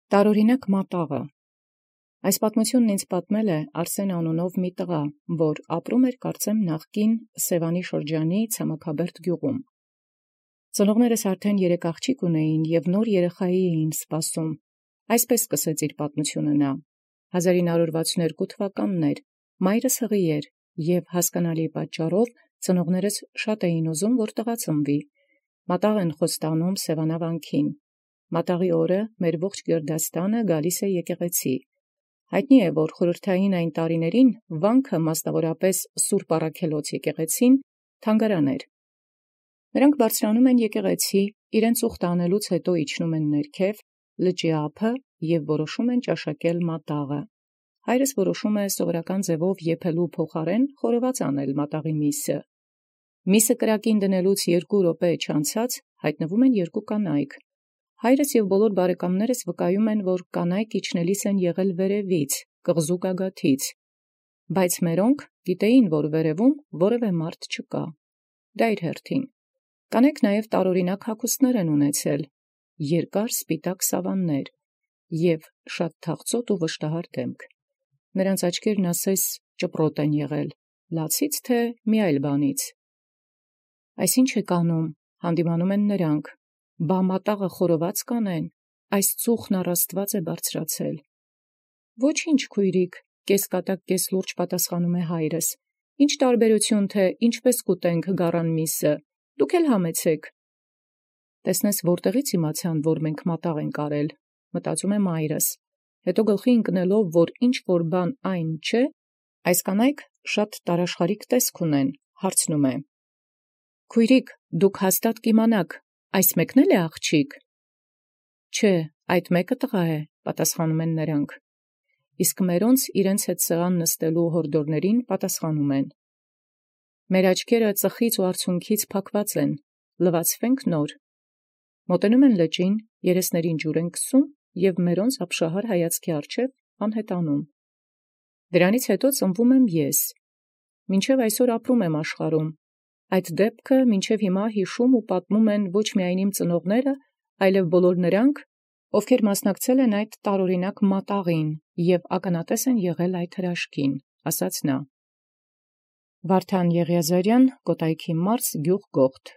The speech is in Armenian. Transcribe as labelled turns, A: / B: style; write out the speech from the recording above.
A: Տարօրինակ մատաղը։ Այս պատմությունն ինձ պատմել է Արսեն անունով մի տղա, որ ապրում էր կարծեմ նախկին Սևանի շրջանի Ցամաքաբերդ գյուղում։ Ծնողներս արդեն 3 աղջիկ ունեին և նոր երեխայի էին սպասում։ Այսպես սկսեց իր պատմությունը նա. 1962 թվականն էր, մայրս հղի էր, և հասկանալի պատճառով ծնողներս շատ էին ուզում, որ տղա ծնվի։ Մատաղ են խոստանում Սևանավանքին։ Մատաղի օրը մեր ողջ գերդաստանը գալիս է եկեղեցի։ Հայտնի է, որ խորհրդային այն տարիներին վանքը, մասնավորապես Սուրբ Առաքելոց եկեղեցին, թանգարան էր։ Նրանք բարձրանում են եկեղեցի, իրենց ուխտը անելուց հետո իջնում են ներքև, լճի ափը և որոշում են ճաշակել մատաղը։ Հայրս որոշում է սովորական ձևով եփելու փոխարեն խորոված անել մատաղի միսը։ Միսը կրակին դնելուց 2 րոպե չանցած հայտնվում են 2 կանայք։ Հայրս և բոլոր բարեկամներս վկայում են, որ կանայք իջնելիս են եղել վերևից, կղզու գագաթից, բայց մերոնք գիտեին, որ վերևում որևէ մարդ չկա։ Դա իր հերթին։ Կանայք նաև տարօրինակ հագուստներ են ունեցել, երկար սպիտակ սավաններ և շատ թախծոտ ու վշտահար դեմք։ Նրանց աչքերն ասես ճպրոտ են եղել, լացից թե մի այլ բանից։ Այս ի՞նչ եք անում, հանդիմանում են նրանք։ Բա մատաղը խորոված կանեն, այս ծուխն առ Աստուած է բարձրացել։ Ոչինչ, քույրիկ, կեսկատակ կեսլուրջ պատասխանում է հայրս։ Ինչ տարբերություն թե ինչպես կուտենք գառան միսը, դուք էլ համեցեք։ Տեսնես որտեղից իմացան, որ մենք մատաղ ենք արել, մտածում է մայրս։ Հետո գլխի ընկնելով, որ ինչ որ բան այն չէ, այս կանայք շատ տարաշխարիկ տեսք ունեն, հարցնում է. Քույրիկ, դուք հաստատ կիմանաք, այս մեկն էլ է աղջիկ։ Չէ, այդ մեկը տղա է, պատասխանում են նրանք։ Իսկ մերոնց իրենց հետ սեղան նստելու հորդորներին պատասխանում են. մեր աչքերը ծխից ու արցունքից փակված են, լվացվենք նոր։ Մոտենում են լճին, երեսներին ջուր են քսում և մերոնց ապշահար հայացքի առջև անհետանում։ Դրանից հետո ծնվում եմ ես։ Մինչև այսօր ապրում եմ աշխարհում։ Այդ դեպքը մինչև հիմա հիշում ու պատմում են ոչ միայն իմ ծնողները, այլև բոլոր նրանք, ովքեր մասնակցել են այդ տարօրինակ մատաղին և ականատես են եղել այդ հրաշքին, ասաց նա։ Վարդան Եղիազարյան, Կոտայքի մարզ, գյուղ Գողթ։